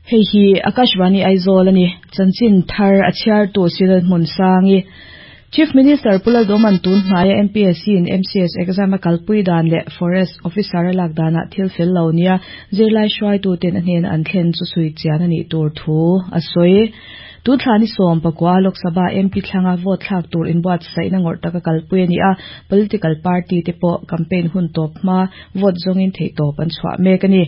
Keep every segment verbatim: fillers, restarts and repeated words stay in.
Hei hi Akashvani Aizawl ani chanchin thar a chhiar tu Silal hmun sangi Chief Minister Pu Lalduhoma'n tun hnaia M P S C in M C S exam a kalpui dan leh Forest Officer a lak danah thil fel lo nia zirlai hruaitu ten a hnena an thlen chu chhui chian a nih tur thu a sawi. Tun thla ni sawm pakua Lok Sabha M P thlanga vote thlak tur inbuatsaihna ngawrh taka kalpui a ni a, political party te pawh campaign hun tawp hma vote zawngin theihtawp an chhuah mek a ni.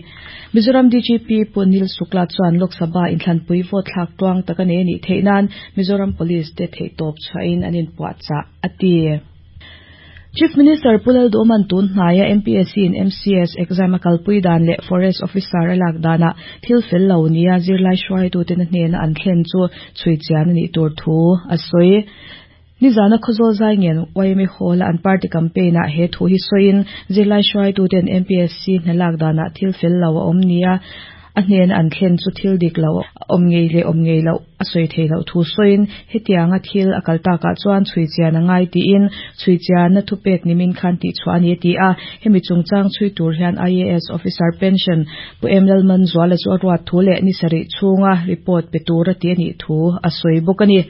Mizoram D G P Pu Anil Shukla chuan Lok Sabha inthlanpui vote thlak tuang taka nei a nih theih nan Mizoram Police te theihtawp chhuahin an inpuahchah a ti. Chief Minister Pu Lalduhoma'n tun hnaia M P S C in M C S exam a kalpui dan leh Forest Officer a lak danah thil fel lo nia zirlai hruaitu ten a hnena an thlen chu chhui chian a nih tur thu a sawi. Nizana Khawzawl zai ngen Y M A Hall a an party campaign ah he thu hi sawiin zirlai hruaitu ten M P S C hna lak danah thil fel lo a awm nia a hnena an thlen chu thil dik lo awm ngei leh awm ngei loh a sawi thei loh thu sawiin hetianga thil a kal takah chuan chhui chian a ngai tiin chhui chianna thupek nimin khan tihchhuah a ni a ti a. Hemi chungchang chhui tur hian I A S officer pension Pu M Lalmanzuala chu a ruat thu leh ni sarih chhunga report pe tur a ti a nih thu a sawi bawk a ni.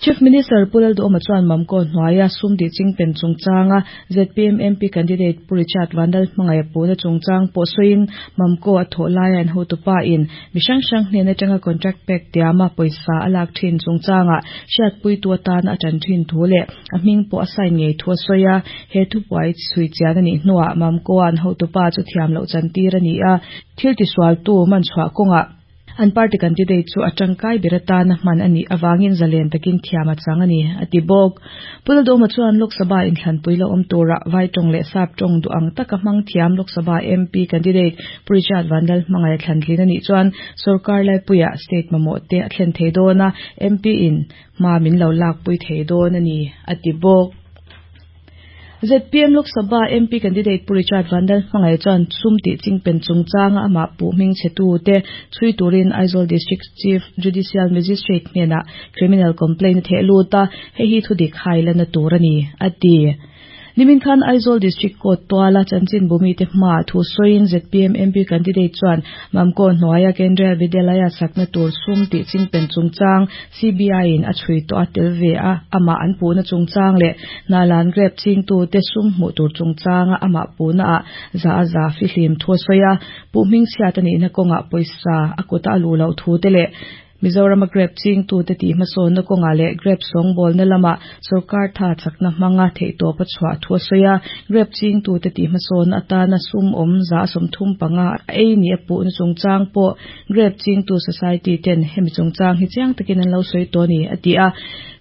Chief Minister Pu Lalduhoma chuan Mamco hnuaia sum tih chingpen chungchanga Z P M M P candidate Pu Richard Vanlalhmangaiha puna chungchang pawh sawiin Mamco a thawh laia an hotupa in mi hrang hrang hnen atanga contract pek tiama pawisa a lak thin chungchanga hriatpuitu atana a tan thin thu leh a hming pawh a sign ngei thu a sawi a. He thupuai chhui chian a nih hnuah Mamco an hotupa chu thiam loh chantir a ni a, thil tisualtu man chhuah kawngah an party candidate chu a tangkai ber atana hman a nih awangin zalen takin thiam a chang a ni a ti bawk. Pu Lalduhoma chuan Lok Sabha inthlanpui lo awm tura vai tawng leh sap tawng duh ang taka hmang thiam Lok Sabha M P candidate Pu Richard Vanlalhmangaiha thlantlin a nih chuan sorkar laipuiah state mamawh te a thlen thei dawn a, M P in hma min lo lakpui thei dawn a ni a ti bawk. Z P M Lok Sabha M P candidate Pu Richard Vanlalhmangaiha chuan sum tih chingpen chungchanga amah puh hming chhe tu te chhui turin Aizawl District Chief Judicial Magistrate hnenah criminal complaint a theh lut a, hei hi thudik hai lana tur a ni a ti. Nimin khan Aizawl District Court tuala chanchin bumi te hma thu sawiin Z P M M P candidate chuan Mamco hnuaia Kendriya Vidyalaya sakna tur sum tih chingpen chungchang C B I in a chhui tawh a tel ve a amah an puhna chungchang leh Hnahlan grape chingtu te sum hmuh tur chungchanga amah puhna ah za a za fihlim thu a sawi a. Puh hming chhiat a nihna kawngah pawisa a kuta a luh loh thu te leh Mizorama grape chingtu te tih hmasawnna kawngah leh grape sawngbawlna lamah sorkar tha chakna hmanga theihtawp a chhuah thu a sawi a. Grape chingtu te tih hmasawnna atana sum awm za sawmthum panga a ei ni a puhna chungchang pawh grape chingtu society ten hemi chungchang hi chiang takin an lo sawi tawh a ni a ti a.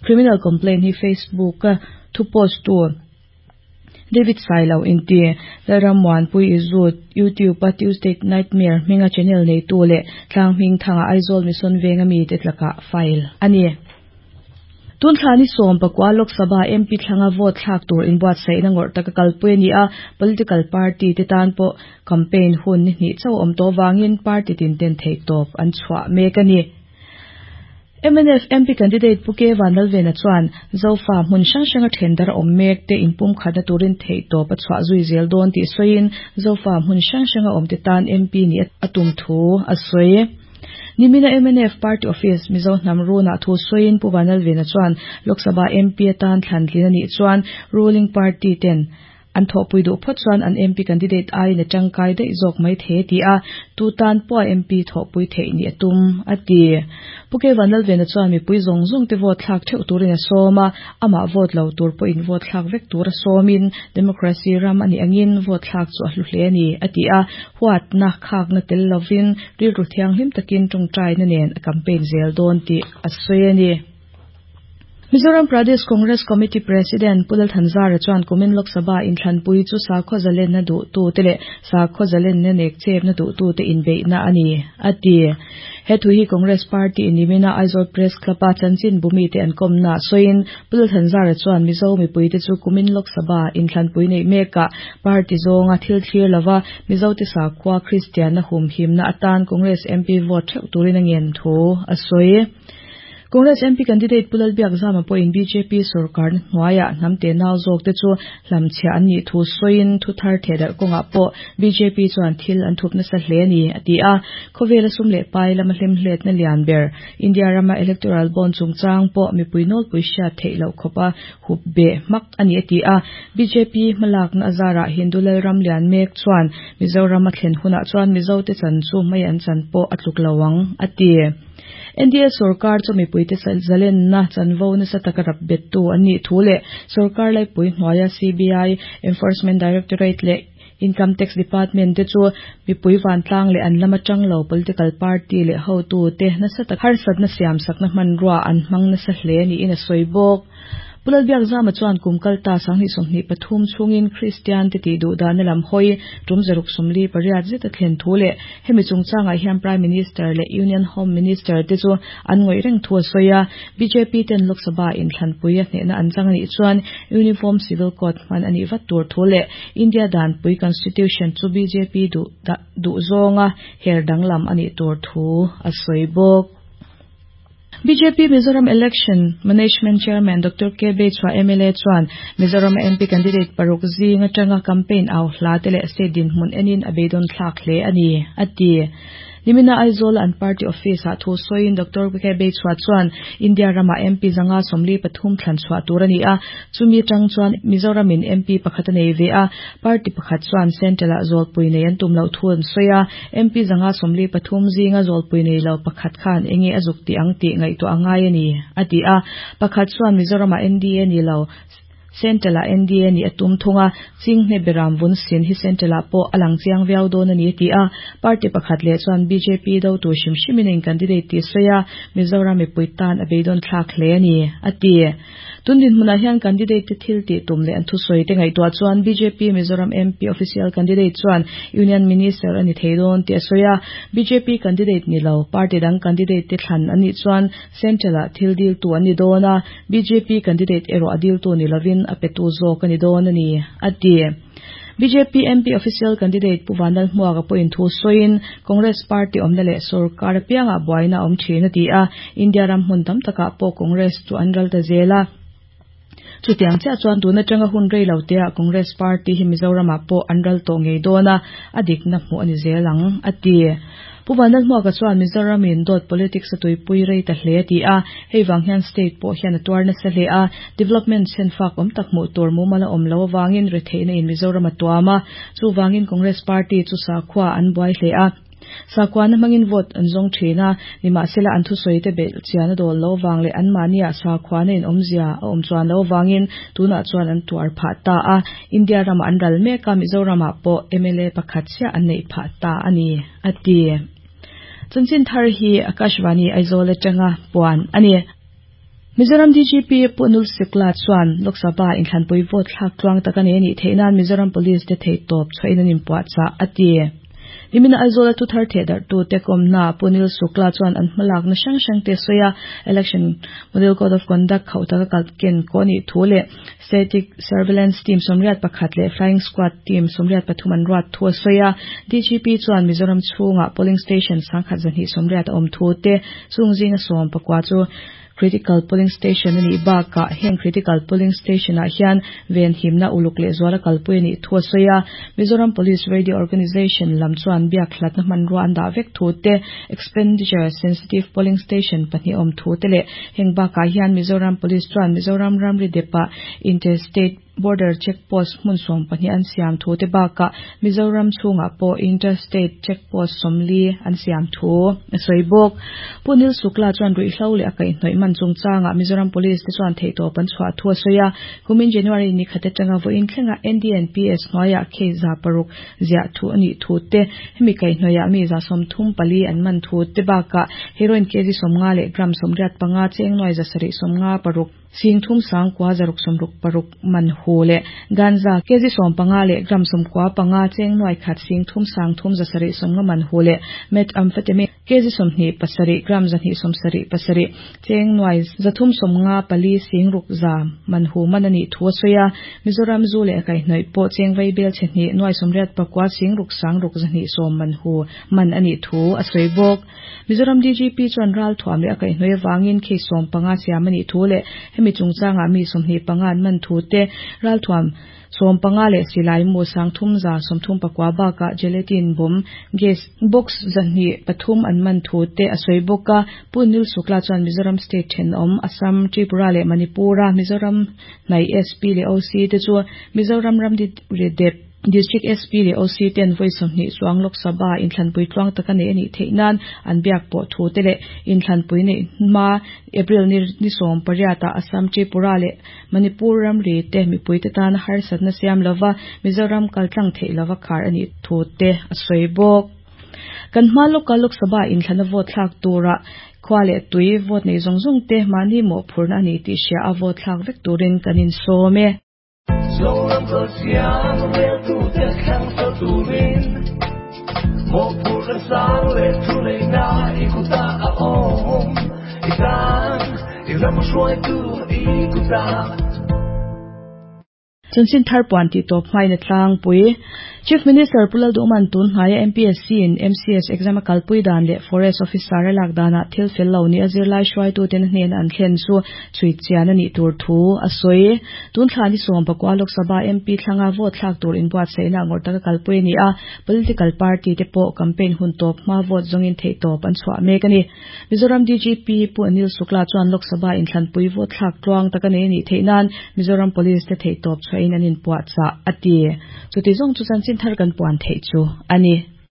Criminal complaint hi Facebook a thu post tu David Sailo inti Lalrammuanpui Izut YouTube a Tuesday Nightmare hminga channel neitu leh tlang hming thanga Aizawl Mission Venga mi te tlaka file a ni. Tun thla ni sawm pakua Lok Sabha M P thlanga vote thlak tur inbuatsaihna ngawrh taka kalpui a ni a, political party te tan pawh campaign hun ni hnih chauh awm tawh wangin party tin ten theihtawp an chhuah mek a ni. M N F M P candidate Pu K Vanlalvena chuan Zofa hmun hrang hranga thendar awm mek te inpum khatna turin theihtawp a chhuah zui zel dawn tih sawiin Zofa hmun hrang hranga awm te tan M P ni a tum thu a sawi. Nimina M N F Party Office Mizo hnam runa thu sawiin Pu Vanlalvena chuan Lok Sabha M P atan thlantlin a nih chuan ruling party ten an thawhpui duh phawt chuan an M P candidate aiin a tangkai daih zawk mai thei a ti a, tu tan pawh M P thawhpui theih ni a tum a ti. Pu K Vanlalvena chuan mipui zawng zawng te vote thlak theuh turin a sawm a, amah vote lo tur pawhin vote thlak vek tur a sawmin democracy ram a nih angin vote thlak chu a hlu hle a ni a ti a, huatna khakna tel lovin rilru thianghlim takin tawngtaina nen a campaign zel dawn tih a sawi a ni. Mizoram Pradesh Congress Committee President Pu Lal Thanzara chuan kumin Lok Sabha inthlanpui chu sakhaw zalenna duh tu te leh sakhaw zalenna nek chepna duh tu te inbeihna a ni a ti. He thu hi Congress Party nimina Aizawl Press Club a chanchin bumi te an kawmna sawiin Pu Lal Thanzara chuan Mizo mipui te chu kumin Lok Sabha inthlanpui nei mekah party zawnga thil thlir lova Mizo te sakhua Kristianna humhimna atan Congress M P vote theuh turin a ngen thu a sawi. Congress M P candidate Pu Lalbiakzama pawhin B J P sorkar hnuaiah hnamte nau zawk te chu hlamchhiah an nih thu sawiin thu thar thehdarh kawngah pawh B J P chuan thil an thup nasa hle a ni a ti a. Khawvela sum leh pai lama hlemhletna lian ber India rama electoral bond chungchang pawh mipui nawlpui hriat theih loh khawpa hup be hmak a ni a ti a. B J P hmalakna azarah Hindu Lalram lian mek chuan Mizoram a thlen hunah chuan Mizo te chan chu mai an chan pawh a tluk lo ang a ti. N D A sarkar chu mipuite zalenna chanvo nasa taka rap bettu an nih thu leh sarkar laipui hnuaia C B I Enforcement Directorate leh Income Tax Department te chu mipui vantlang leh an lama tanglo political party leh hotu te nasa tak harsatna siam sakna hmanrua an hmang nasa hle niin a sawi bawk. Pu Lalbiakzama chuan kum kalta sanghnih sawmhnih pathum chungin Christian te tih duh dahna lam hawi tum zaruk sawmli pariat zet a thlen thu leh hemi chungchangah hian Prime Minister leh Union Home Minister te chu an ngawih reng thu a sawi a. B J P ten Lok Sabha inthlanpui a hnehna an chang anih chuan Uniform Civil Code hman anih vat tur thu leh India danpui Constitution chu B J P duh duh zawnga her danglam anih tur thu a sawi bawk. B J P Mizoram Election Management Chairman Doctor K. Beichhua M L A chuan Mizoram M P candidate paruk zinga tanga campaign au hla te leh state dinhmun enin a beidawng thlak hle a ni a ti. Nimina Aizawl an party office ah thu sawiin Doctor K. Beichhua chuan India rama M P zanga sawmli pathum thlan chhuah tur a ni a. Chumi tang chuan Mizoramin M P pakhat a nei ve a. Party pakhat chuan Central ah zawlpui nei an tum loh thu an sawi a. M P zanga sawmli pathum zinga zawlpui nei lo pakhat khan enge a zuk ti ang tih ngaihtuah a ngai a ni a ti a. Pakhat chuan Mizorama N D A ni lo Central ah N D A ni a tum thunga chinghne beram vun sin hi Central ah pawh a lang chiang viau dawn a ni ti a. Party pakhat leh chuan B J P do tur hrim hrimin in candidate tih sawi a. Mizoram mipui tan a beidawn thlak hle a ni a ti. Tun dinhmunah hian candidate te thil tih tum leh an thusawi te ngaihtuah chuan B J P Mizoram M P official candidate chuan Union Minister a ni thei dawn tih a sawi a. B J P candidate ni lo party dang candidate te thlan anih chuan Central ah thil dil tu an ni dawn a. B J P candidate erawh a dil tu ni lovin a petu zawk a ni dawn a ni a ti. B J P M P official candidate Pu Vanlalhmuaka pawhin thu sawiin Congress Party awmna leh sarkar apiangah buaina awm thin a ti a. India ram hmun tam takah pawh Congress chu an ral ta zel a. Chutiang chiah chuan tun atanga hun rei lo te ah Congress Party hi Mizoramah pawh an ral tawh ngei dawn a, a dikna hmuh a ni zel ang a ti. Pu Vanlalhmuaka chuan Mizoramin dawt politics a tuipui rei ta hle a ti a. Hei vang hian state pawh hian a tuar nasa hle a. Development senfak awm tak hmuh tur mumal a awm lo awangin retheihna in Mizoram a tuam a. Chuvangin Congress Party chu sakhua an buai hle a. Sakhuana hmangin vote an zawng thin a. Nimahsela an thusawi te belh chian a dawl lo wang leh an mahniah sakhuana in awmzia a awm chuan lo wangin tunah chuan an tuar phah ta a. India rama an ral mek a Mizoramah pawh M L A pakhat chiah an neih phah ta a ni a ti. Chanchin thar hi Akashvani Aizawl atanga puan a ni. Mizoram D G P Pu Anil Shukla chuan Lok Sabha inthlanpui vote thlak tluang tak a nei anih theih nan Mizoram Police te thei tawp chhuahin an inpuah chah a ti. Nimina Aizawl a thu thar thehdarh tu te kawmna Pu Anil Shukla chuan an hmalakna hrang hrang te sawi a. Election Model Code of Conduct khauh taka kalken kaw anih thu leh Static Surveillance Team sawmriat pakhat leh Flying Squad Team sawmriat pathum an ruat thu a sawi a. D G P chuan Mizoram chhungah polling station sangkhat zahnih sawmriat a awm thu te chung zinga sawm pakua chu critical polling station ani bakah heng critical polling station ah hian ven himna uluk leh zuala kalpui ani thu a sawi a. Mizoram Police Radio Organization lam chuan biak hlatna hmanrua an dah vek thu te expenditure sensitive polling station pahnih awm thu te leh heng bakah hian Mizoram Police chuan Mizoram ramri depa interstate border checkpost hmun sawm pahnih an siam thu te bakah Mizoram chhungah pawh interstate checkpost sawmli an siam thu a sawi bawk. Pu Anil Shukla chuan ruihhlo leh a kaihhnawih man chungchangah Mizoram Police te chuan theihtawp an chhuah thu a sawi a. Kumin January ni khat atanga vawiin thlenga N D N P S hnuaiah case za paruk ziah thu anih thu te hemi kaihhnawihah mi za sawmthum pali an man thu te bakah heroin kg sawmnga leh gram sawmriat panga cheng nuai za sarih sawmnga paruk sing thum sangkua zaruk sawmruk paruk man hu leh ganja kg sawm panga leh gram sawmkua panga cheng nuai khat sing thum sang thum za sarih sawmnga man hu leh methamphetamine kg sawmhnih pasarih gram zahnih sawmsarih pasarih cheng nuai zathum sawmnga pali sing ruk za man hu man anih thu a sawi a. Mizoram zu leh a kaihhnawih pawh cheng vai bel chhe hnih nuai sawmriat pakua sing ruk sang ruk zahnih sawm man hu man anih thu a sawi bawk. Mizoram D G P chuan ral thuam leh a kaihhnawih avangin case sawm panga siam anih thu leh hemi chungchangah mi sawmhnih panga an man thu te ral thuam sawm panga leh silai mu sang thum za sawmthum pakua bakah gelatin bomb gas box zahnih pathum an man thu te a sawi bawk a. Pu Anil Shukla chuan Mizoram state thenawm Assam, Tripura leh Manipura Mizoram hnai S P leh O C te chu Mizoram ramri dep District S P leh O C ten vawi sawmhnih chuang Lok Sabha inthlanpui tluang taka nei anih theih nan an biak pawh thu te leh inthlanpui nei hma April ni ni sawm pariat ah Assam, Tripura leh Manipur ramri te mipui te tan harsatna siam lova Mizoram kaltlang theih lova khar anih thu te a sawi bawk. Kan hma loka Lok Sabha inthlana vote thlak tura khua leh tui vote nei zawng zawng te mahni mawhphurna ani tih hria a vote thlak vek turin kan insawm e. Zoram ko siang rel tu te khang so turin mo pur sang le tu le na i kuta a om i tang i ram shuai tu i kuta. Chanchin thar puan ti tawp hmain a tlangpui. Chief Minister Pu Lalduhoma'n tun hnaia M P S C in M C S exam a kalpui dan leh Forest Officer a lak danah thil fel lo ni a zirlai hruaitu ten a hnen an thlen chu chhui chian anih tur thu a sawi. Tun thla ni sawm pakua Lok Sabha M P thlanga vote thlak tur inbuatsaihna ngawrh taka kalpui ani a. Political party te pawh campaign hun tawp hma vote zawngin theih tawp an chhuah mek ani. Mizoram D G P Pu Anil Shukla chuan Lok Sabha inthlanpui vote thlak tluang taka nei anih theih nan Mizoram Police te theih tawp chhuahin an inpuah chah a ti. Chuti zawng chu chanchin thar kan puan theih chu ani.